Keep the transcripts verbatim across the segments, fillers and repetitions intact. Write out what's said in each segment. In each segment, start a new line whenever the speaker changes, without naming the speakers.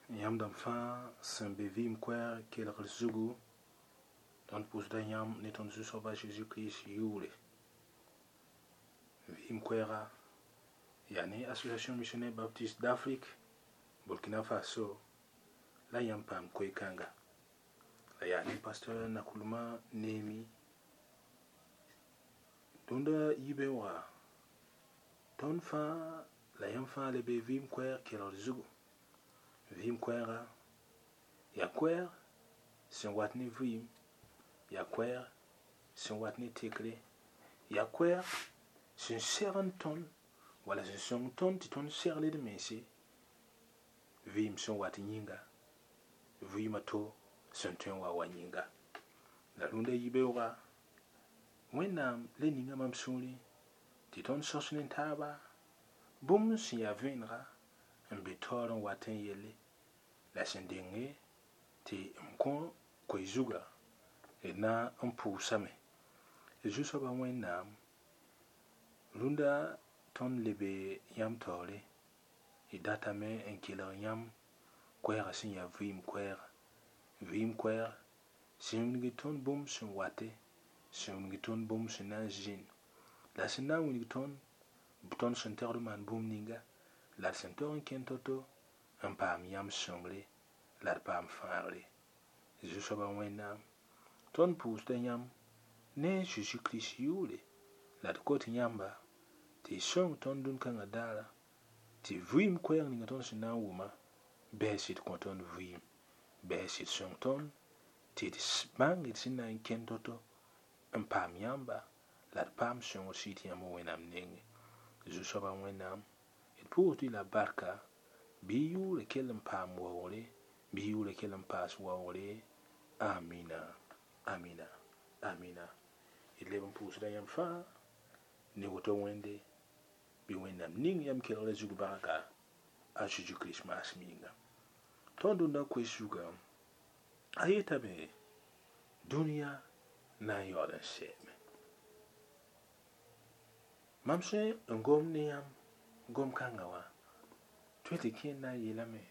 Yãmb dãmb fãa sẽn be vɩɩm koɛɛg kelgr zugu, tõnd pʋʋsda yãmb ne tõnd Zu-soaba Zeezi Kirist yʋʋre. Vɩɩm koɛɛga yaa ne Association Missionnaire Baptiste d'Afrique Burkina Faso la yãmb paam koe-kãnga. La yaa ne pasteur Nakulma Nemi. Dũnda yibeoogã tõnd fãa la yãmb fãa le be vɩɩm koɛɛg kelgr zugu. Vɩɩm koɛɛga yaa koɛɛg sẽn wat ne vɩɩm, yaa koɛɛg sẽn wat ne tekre, yaa koɛɛg sẽn segend tõnd wala sẽn sõng tõnd tɩ tõnd segl d mense vɩɩm sẽn wat yĩnga, vɩɩmã to sẽn tõe n wa wa yĩnga. La rũndã yibeoogã Wẽnnaam le ninga mam sũurẽ tɩ tõnd sõs ne taaba bũmb sẽn yaa vẽenega n be taoor n wat n yelle la sẽn denge tɩ m kõ koe-zugã d na n pʋʋsame. Zu-soaba Wẽnnaam rũndã tõnd lebe yãmb taoore d datame n kelg yãmb koɛɛgã sẽn yaa vɩɩm koɛɛga. Vɩɩm koɛɛg sẽn wilg tõnd bũmb sẽn wate, sẽn wilg tõnd bũmb sẽn na n zĩnd, la sẽn na n wilg tõnd tõnd sẽn tɛgd n maan bũmb ninga, la d sẽn tog n kẽn to-to n paam yãmb sõngre la d paam fãagre. Zu-soaba Wẽnnaam tõnd pʋʋsda yãmb ne Zeezi Kirist yʋʋre la d kot yãmba tɩ y sõng tõnd dũn-kãngã daara tɩ vɩɩm koɛɛg ninga tõnd sẽn na n wʋma bɩ sɩd kõ tõnd vɩɩm, bɩ sɩd sõng tõnd tɩ d bãng d sẽn na n kẽn to-to n paam yãmba la d paam sõngr sɩd yãmb Wẽnnaam nengẽ. Zu-soaba Wẽnnaam d pʋʋsd-y la barka bɩ y yʋʋrã kell n paam waoogre, bɩ y yʋʋrã kell n paas waoogre. Amina, amina, amina. D leb n pʋʋsda yãmb fãa ne woto Wẽnde bɩ Wẽnnaam ning yãmb kelgrã zug barka a Zeezi Kirist maasem yĩnga. Tõnd dũnna koe zugã a yetame dũniyã na n yaool n sɛɛme. Mam sẽn n gom ne yãmb gom-kãngã wã tõe tɩ kẽer na n yeelame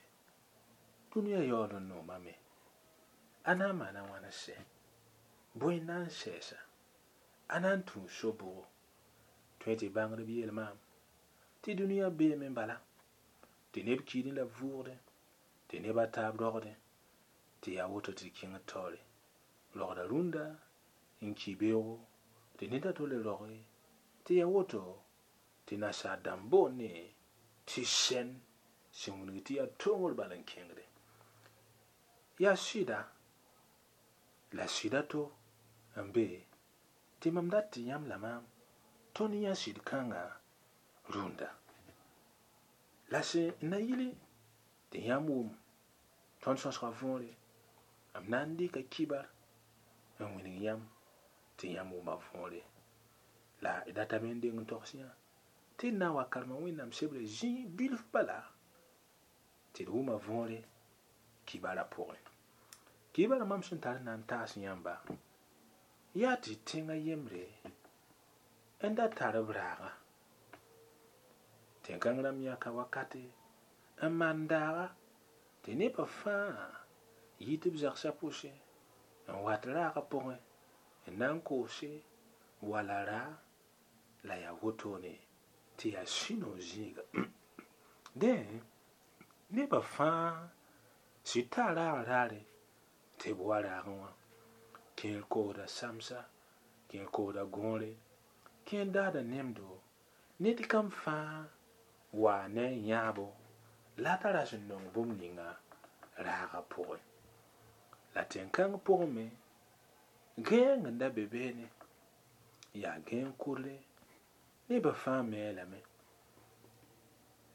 dũniyã yaool n noomame a na n maana wãn n sɛ bõe n na n sɛɛsa a na n tũu so-bʋgo tõe tɩ bãngdb yeel maam tɩ dũniyã beeme bala tɩ neb kiidẽ la b vʋʋgdẽ tɩ neb a taab rogdẽ tɩ yaa woto tɩ d kẽngd taoore rogda rũndã n ki beoogo tɩ ned a to le roge tɩ yaa woto tɩ nasaar dãmb boonde tɩ sɛn sẽn wilg tɩ yaa tongr bal n kẽngde yaa sɩda la sɩda to n be tɩ mam dat tɩ yãmb la maam tõnd yã sɩd kãngã rũndã la sẽn na yɩle tɩ yãmb wʋm tõnd sõsga võore m na n dɩka kibar n wilg yãmb tɩ yãmb wʋma võore la d datame n deng n togs yã tɩ d na n wa karema Wẽnnaam sebrã zĩig bilf bala tɩ d wʋma võore kibara pʋgẽ. Kibara mam sẽn tar n na n taas yãmba yaa tɩ tẽngã yembre n da tar b raaga tẽn-kãng rãmb yãka wakate n maan daaga tɩ nebã fãa yɩ tɩ b zagsã pʋsẽ n wat raagã pʋgẽ n na n koose wala raa la yaa wotone tɩ yaa sũ-noog zĩiga dẽ nebã fãa sɩd taa raag raare tɩ b wa raagẽ wã kẽer koosda samsa kẽer koosda gõore kẽer daada nemdo ned kam fãa waa ne a yãabo la a tara sẽn nong bũmb ninga raagã pʋgẽ la tẽn-kãng pʋgẽ me gãeeng n da be beene yaa gãeeng kʋdre nebã fãa me lame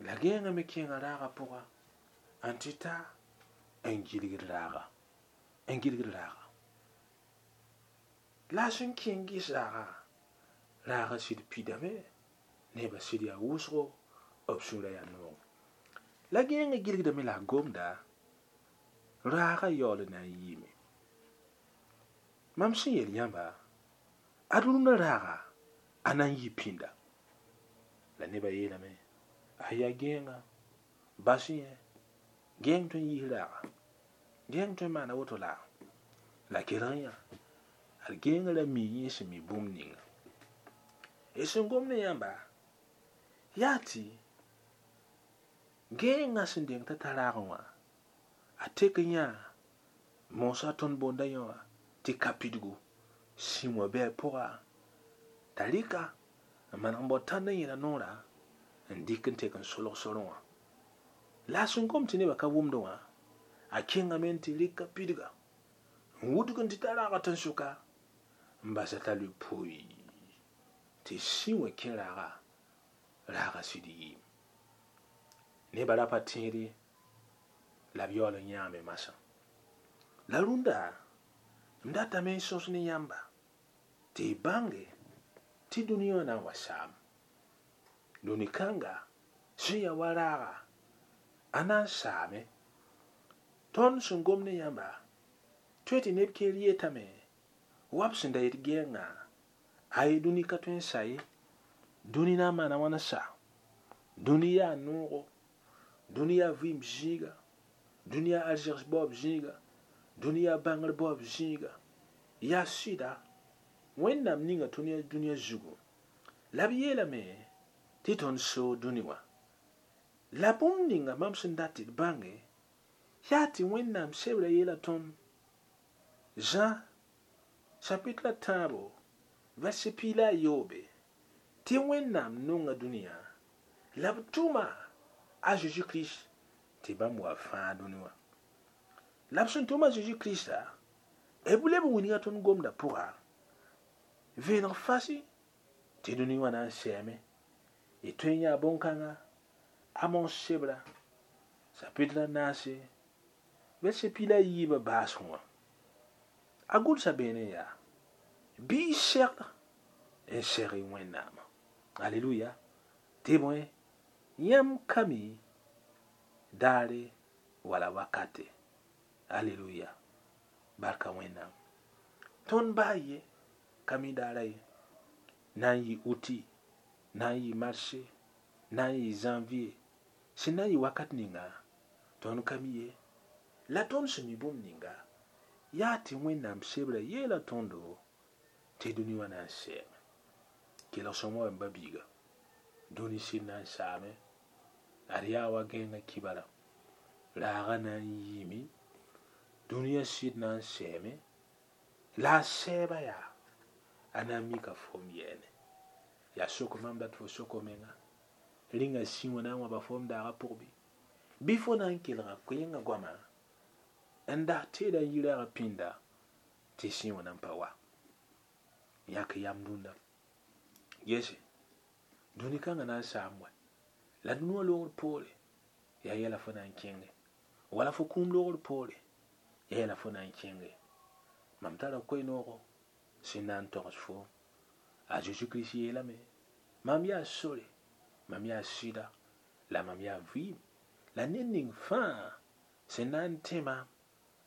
la gãeengã me kẽnga raagã pʋga n tɩ ta n gilgd raaga n gilgd raaga la a sẽn kẽng ges raaga raagã sɩd pidame nebã sɩd yaa wʋsgo b sũurã yaa noog la gãeengã gilgdame la a gomda raagã yaool n na n yiime mam sẽn yeel yãmba ad rũnã raaga a na n yɩ pĩnda la nebã yeelame a yaa gãeengã bas yẽ Gẽeng tõe n yiis raaga, gẽeng tõe n maana woto la la kelg yã ad gẽeng ra mi yẽ sẽn mi bũmb ninga. Y sẽn gom ne yãmba yaa tɩ gẽengã sẽn deng t'a ta raagẽ wã a tek n yã moosã tõnd boonda yã wã tɩ ka pidgu sĩ wã bɩ a pʋga t'a rɩka n maneg n bao tãnd n yẽla noorã n dɩk n tek n solg sorẽ wã la a sẽn gom tɩ nebã ka wʋmdẽ wã a kẽngame n tɩ rɩka pidga n wudg n tɩ ta raaga tẽn-sʋka n basa t'a lʋɩ poy tɩ sĩ wã kẽ raaga raaga sɩd yiim nebã ra pa tẽed ye la b yaool n yãame masã la rũndã m datame n sõs ne yãmba tɩ y bãnge tɩ dũniyã wã na n wa saam dũni kãnga sẽn ya wa raaga a na n saame tõnd sẽn gom ne yãmba tõe tɩ neb keer yetame wa b sẽn da yet gɛɛngã ay dũni ka tõe n sa ye dũni na n maana wãn n sa dũni yaa noogo dũni yaa vɩɩm zĩiga dũni yaa arzegs baoob zĩiga dũni yaa bãngr baoob zĩiga yaa sɩda wẽnnaam ninga tõnd dũniyã zugu la b yeelame tɩ tõnd soog dũni wã la bũmb ninga mam sẽn dat tɩ d bãnge yaa tɩ wẽnnaam sebra yeela tõnd Zã chapitre la tãabo verset piig la a yoobe tɩ wẽnnaam nonga dũniyã la b tʋma a Zeezi Kirist tɩ bãmb wa fãa dũni wã la b sẽn tʋm a Zeezi Kirista b leb n wilga tõnd gomdã pʋga vẽeneg fasi tɩ dũni wã na n sɛɛme y tõe n yaa bõn-kãnga Amos sebra chapitre la naase verset piig la a yiibã baasg wã a gʋlsa beene yaa bɩ y segd n seg y wẽnnaamã aleluya tɩ bõe yãmb ka mi daare wala wakate aleluya barka wẽnnaam tõnd baa ye ka mi daara ye na n yɩ uti na n yɩ marse na n yɩ janvier sẽn na n yɩ wakat ninga tõnd ka mi ye la tõnd sẽn mi bũmb ninga yaa tɩ wẽnnaam sebra yeela tõndo tɩ dũni wã na n sɛɛme kelg sõma wa m ba-biiga dũni sɩd na n saame ad yaa wa gẽengã kibara raaga na n yiime dũniyã sɩd na n sɛɛme la a sɛɛba yaa a na n mika fom yɛɛne yaa sok mam dat fo soko menga rĩnga sĩ wã na n wãba fom daagã pʋg bɩ bɩ fo na n kelga koẽngã goamã n das teeda n yi raagã pĩnda tɩ sĩ wã na n pa wa yãk yam dũnna gese dũni kãngã na n saam wɛ la dũni wã loogr poore yaa yɛla fo na n kẽnge wala fo kũum loogr poore yaa yɛla fo na n kẽnge mam tara koe-noogo sẽn na n togs foom a Zeezi Kirist yeelame mam yaa sore mam yaa sɩda la mam yaa vɩɩm la ned ning fãa sẽn na n tẽ maam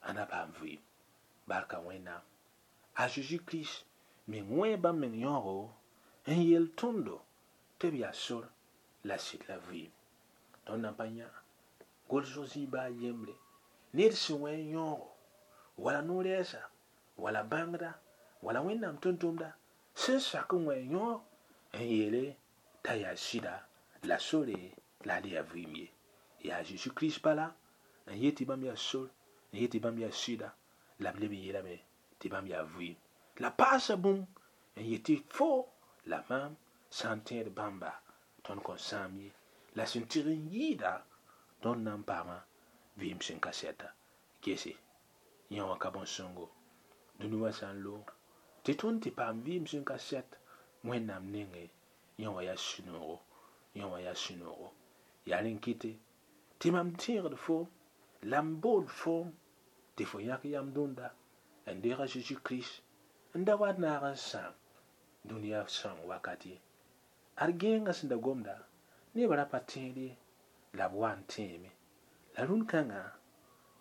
a na paam vɩɩm barka wẽnnaam a Zeezi Kirist meng wẽ bãmb meng yãoogo n yeel tõndo tɩ b yaa sor la sɩd la vɩɩm tõnd na n pa yã gʋlsg zĩig baa yembre ned sẽn wẽ n yãoogo wala no-rɛɛsa wala bãngda wala wẽnnaam tʋm-tʋmda sẽn sak n wẽ n yãoog n yeele t'a yaa sɩda la sore la a le yaa vɩɩm ye yaa Zeezi Kirist bala n yet tɩ bãmb yaa sor n yet tɩ bãmb yaa sɩda la b leb n yeelame tɩ bãmb yaa vɩɩm la paasa bũmb n yet tɩ fo la maam sã n tẽed bãmba tõnd kõn sãam ye la sẽn tɩg n yɩɩda tõnd na n paama vɩɩm sẽn ka sɛta gese yã wã ka bõn-sõngo dũni wã sã n loog tɩ tõnd tɩ paam vɩɩm sẽn ka sɛt wẽnnaam nengẽ yã wã yaa sũ-noogo yã wã yaa sũ-noogo yaa rẽn kɩte tɩ mam tẽegd foom la m bool foom tɩ fo yãk yam dũnda n deeg a Zeezi Kirist n da wa naag n sãam dũniyã sãoong wakat ye ad gẽengã sẽn da gomda nebã ra pa tẽed ye la b wa n tẽeme la rũn-kãngã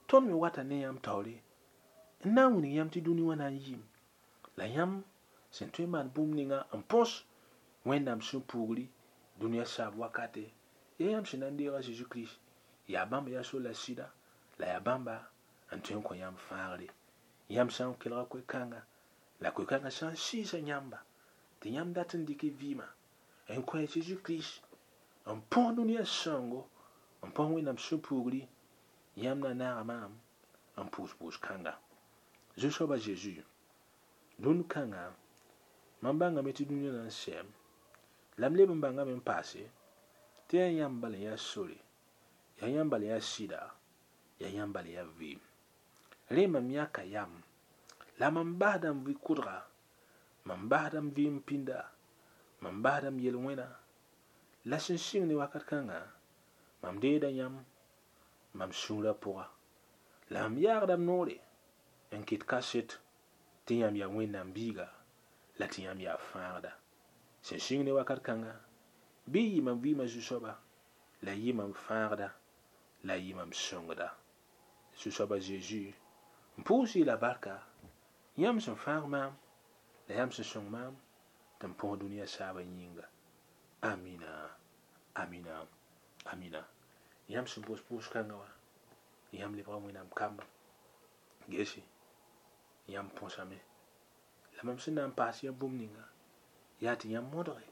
tõnd me wata ne yãmb taoore n na n wilg yãmb tɩ dũni wã na n yiim la yãmb sẽn tõe n maan bũmb ninga n põs wẽnnaam sẽn pugri dũniyã saab wakate yaa yãmb sẽn na n deeg a Zeezi Kirist yaa bãmb yaa sor la sɩda La yaa bãmba n tõe n kõ yãmb fãagre. Yãmb sã n kelga koe-kãnga, la koe-kãngã sã n sɩɩsa yãmba, tɩ yãmb dat n dɩk y vɩɩmã n kõ a Zeezi Kirist n põs dũniyã sãoongo, n põs Wẽnnaam sũ-puugri, yãmb na naaga maam n pʋʋs pʋʋs-kãnga. Zu-soaba Zeezi, dũni kãnga, mam bãngame tɩ dũniyã na n sɛɛm, la m leb n bãngame n paase tɩ yaa yãmb bala n yaa sore, yaa yãmb bala n yaa sɩda, yaa yãmb bala n yaa vɩɩm. Rẽ mam yãka yam, la mam basda m vɩ-kʋdga, mam basda m vɩɩm pĩnda, mam basda m yel-wẽna, la sẽn sɩng ne wakat kãnga, mam deeda yãmb mam sũurã pʋga. La mam yaagda m noore n kɩt kaset tɩ yãmb yaa Wẽnnaam biiga la tɩ yãmb yaa fãagda. Sẽn sɩng ne wakat kãnga, bɩ y yɩ mam vɩɩmã zu-soaba, la y yɩ mam fãagda, la y yɩ mam sõngda. Zu-soaba Zeezi, n pʋʋs-y la barka, yãmb sẽn fãag maam, la yãmb sẽn sõng maam tɩ m põs dũniyã saabã yĩnga. Amina, amina, amina. Yãmb sẽn pʋʋs pʋʋs-kãngã wã, yãmb lebga Wẽnnaam kamba. Gese, yãmb põsame. La mam sẽn na n paas yãmb bũmb ninga, yaa tɩ yãmb modge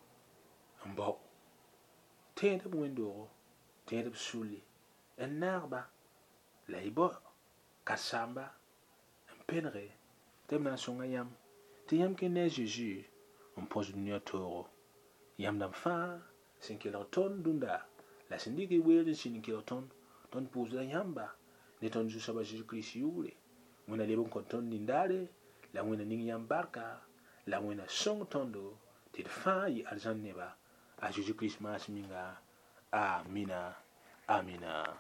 n bao. Tẽed b wẽnd-doogo, tẽed b sulli, n naag-ba, la y bao karen-saamba n penege tɩ b na n sõnga yãmb tɩ yãmb kẽ ne a Zeezi n põs dũniyã toogo. Yãmb dãmb fãa sẽn kelg tõnd dũnda la sẽn dɩk y weer n sĩnd n kelg tõnd, tõnd pʋʋsda yãmba ne tõnd Zu-soaba Zeezi Kirist yʋʋre. Wẽnna leb n kõ tõnd nindaare, la Wẽnna ning yãmb barka, la Wẽnna sõng tõndo tɩ d fãa yɩ arzãn neba a Zeezi Kirist maas minga. Amina, amina.